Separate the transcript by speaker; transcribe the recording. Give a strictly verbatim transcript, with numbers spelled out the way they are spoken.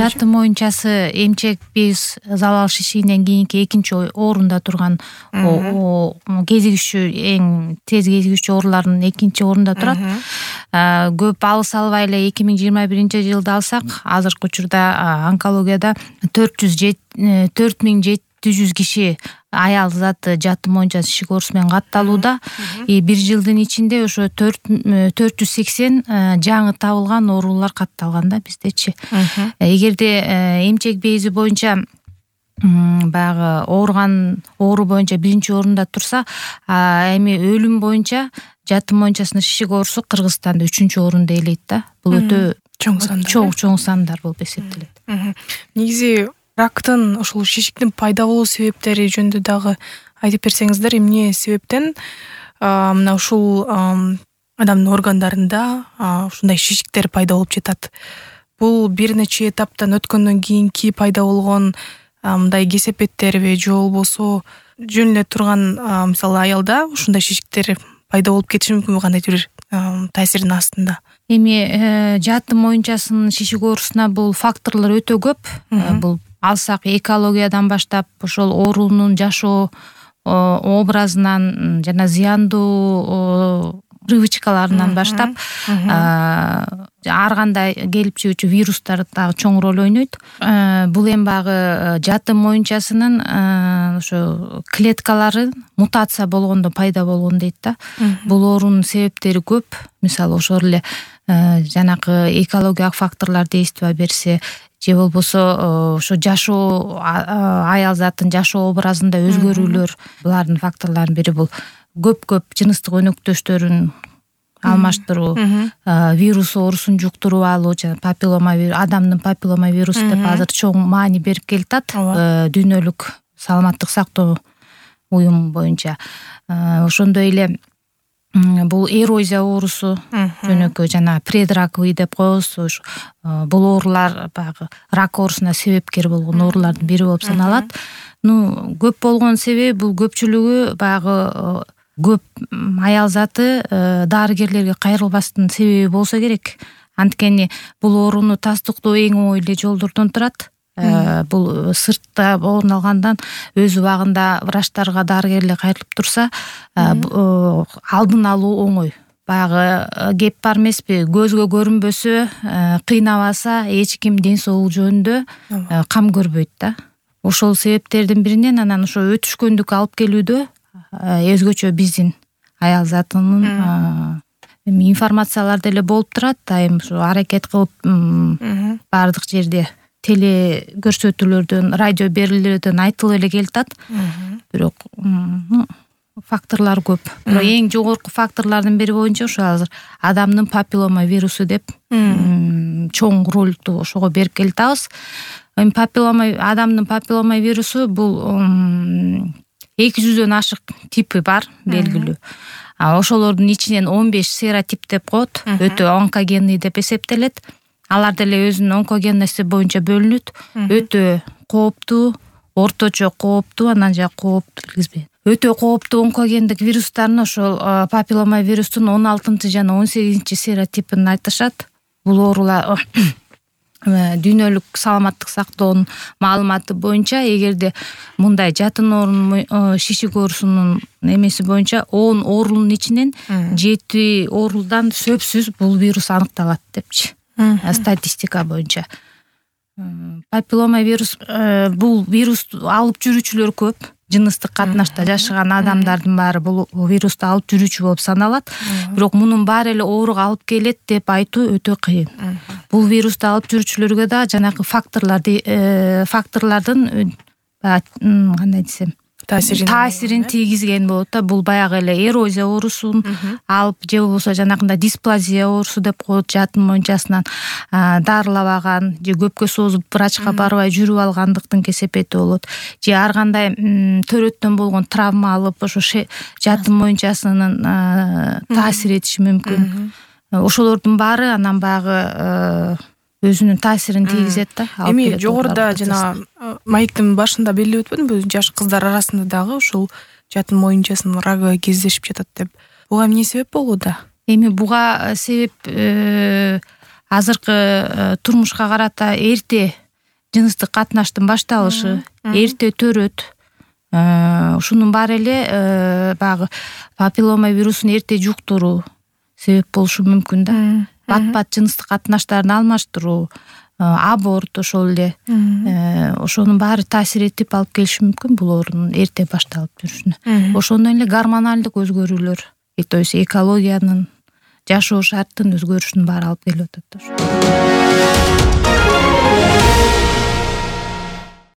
Speaker 1: жаты моюнчасы эмчек без залал шишигинен кийинки экинчи орунда турган кезигишүү эң тез кезигишүү оорулардын экинчи орунда турат. Көп алыс албай эле эки миң жыйырма биринчи жылды алсак, азыркы учурда онкологияда төрт миң жети жүз киши аял заты жаты моюнчасы шишик оорусу менен катталууда. Бир жылдын ичинде ошо төрт жүз сексен жаңы табылган оорулар катталган да биздечи. Эгерде эмчек бези боюнча баягы ооруган оору боюнча биринчи орунда турса, эми өлүм боюнча жаты моюнчасынын шишик оорусу Кыргызстанда үчүнчү орунду ээлейт да. Бул өтө
Speaker 2: чоң сандар.
Speaker 1: Чоң чоң сандар болуп эсептелет.
Speaker 2: Негизи рактын ошол шишиктин пайда болуу себептери жөнүндө дагы айтып берсеңиздер, эмне себептен мына ушул адамдын органдарында ушундай шишиктер пайда болуп жатат? Бул бир нече этаптан өткөндөн кийинки пайда болгон мындай кесепеттерби же болбосо жөн эле турган мисалы аялда ушундай шишиктер пайда болуп кетиши мүмкүнбү кандайдыр бир таасирдин астында?
Speaker 1: Эми жаты моюнчасынын шишик оорусуна бул факторлор өтө көп. Бул алсак экологиядан баштап ошол оорунун жашоо образынан жана зыяндуу привычкаларынан баштап ар кандай келип чыгуучу вирустар дагы чоң роль ойнойт. Бул эми баягы жаты моюнчасынын ошо клеткалары мутация болгондо пайда болгон дейт да. Бул оорунун себептери көп. Мисалы ошол эле жанакы экологиялык факторлор действия берсе, же болбосо ошо жашоо аял затын жашоо образында өзгөрүүлөр, булардын факторлорунун бири бул көп-көп жыныстык өнөктөштөрүн алмаштыруу, вирус оорусун жуктуруп алуу, жана папиллома адамдын папиллома вирусу деп азыр чоң маани берип келатат дүйнөлүк саламаттык сактоо уюму боюнча. Ошондой эле бул эрозия оорусу, жөнөкөй жана предраковый деп коебуз. Бул оорулар баягы рак оорусуна себепкер болгон оорулардын бири болуп саналат. Ну, көп болгон себеби бул көпчүлүгү баягы көп аял заты дарыгерлерге кайрылбастын себеби болсо керек. Анткени бул ооруну тастыктоо эң оңой эле жолдордон турат. Бул сыртта орун алгандан өз убагында врачтарга, дарыгерлерге кайрылып турса, алдын алуу оңой. Баягы кеп бар эмеспи, көзгө көрүнбөсө, кыйнабаса эч ким ден соолук жөнүндө кам көрбөйт да. Ошол себептердин биринен анан ошо өтүшкөндүк алып келүүдө өзгөчө биздин аял затынын информациялар деле болуп турат. Айым ушу аракет кылып бардык жерде теле көрсөтүүлөрдөн, радио берүүлөрдөн айтылып эле келатат. Бирок факторлор көп. Бирок эң жогорку факторлордун бири боюнча ошо азыр адамдын папиллома вирусу деп чоң ролду ошого берип келатабыз. Эми папиллома адамдын папиллома вирусу бул эки жүздөн ашык типи бар, белгилүү. Ошолордун ичинен он беш серотип деп коет, өтө онкогенный деп эсептелет. Алар деле өзүнүн онкогенности боюнча бөлүнөт. Өтө кооптуу, орточо кооптуу, анан жа кооптуу билгизбейм. Өтө кооптуу онкогендик вирустардын ошол папиллома вирустун он алтынчы жана он сегизинчи серотипин айтышат. Бул оорулар дүйнөлүк саламаттык сактоонун маалыматы боюнча, эгерде мындай жатын оорунун шишик оорусунун эмеси боюнча он оорунун ичинен жети оорулдан сөзсүз бул вирус аныкталат депчи. Статистика боюнча. Папиллома вирус, бул вирус алып жүрүүчүлөр көп. Жыныстык катнашта жашаган адамдардын баары бул вирусту алып жүрүүчү болуп саналат. Бирок мунун баары эле ооруга алып келет деп айтуу өтө кыйын. Бул вирусту алып жүрүүчүлөргө да жанагы факторлорду факторлордун кандай десем, таасирин тийгизген болот да. Бул баягы эле эрозия оорусун алып, же болбосо жанагындай дисплазия оорусу деп коет, жатын моюнчасынан дарылабаган же көпкө созуп врачка барбай жүрүп алгандыктын кесепети болот. Же ар кандай төрөттөн болгон травма алып, ошо жатын моюнчасынын таасир этиши мүмкүн. Ошолордун баары анан баягы өзүнүн таасирин тийгизет да.
Speaker 2: Эми жогоруда жана маектин башында белгилеп өтпөдүмбү, жаш кыздар арасында дагы ушул жатын моюнчасынын рагы кездешип жатат деп. Буга эмне себеп болууда?
Speaker 1: Эми буга себеп азыркы турмушка карата эрте жыныстык катнаштын башталышы, эрте төрөт, ушунун баары эле баягы папиллома вирусун эрте жуктуруу себеп болушу мүмкүн да. Бат бат жыныстык катнаштарын алмаштыруу, аборт ошол эле ошонун баары таасир этип алып келиши мүмкүн бул оорунун эрте башталып жүрүшүнө. Ошондон эле гормоналдык өзгөрүүлөр, то есть экологиянын, жашоо шарттын өзгөрүшүнүн баары алып келип атат да.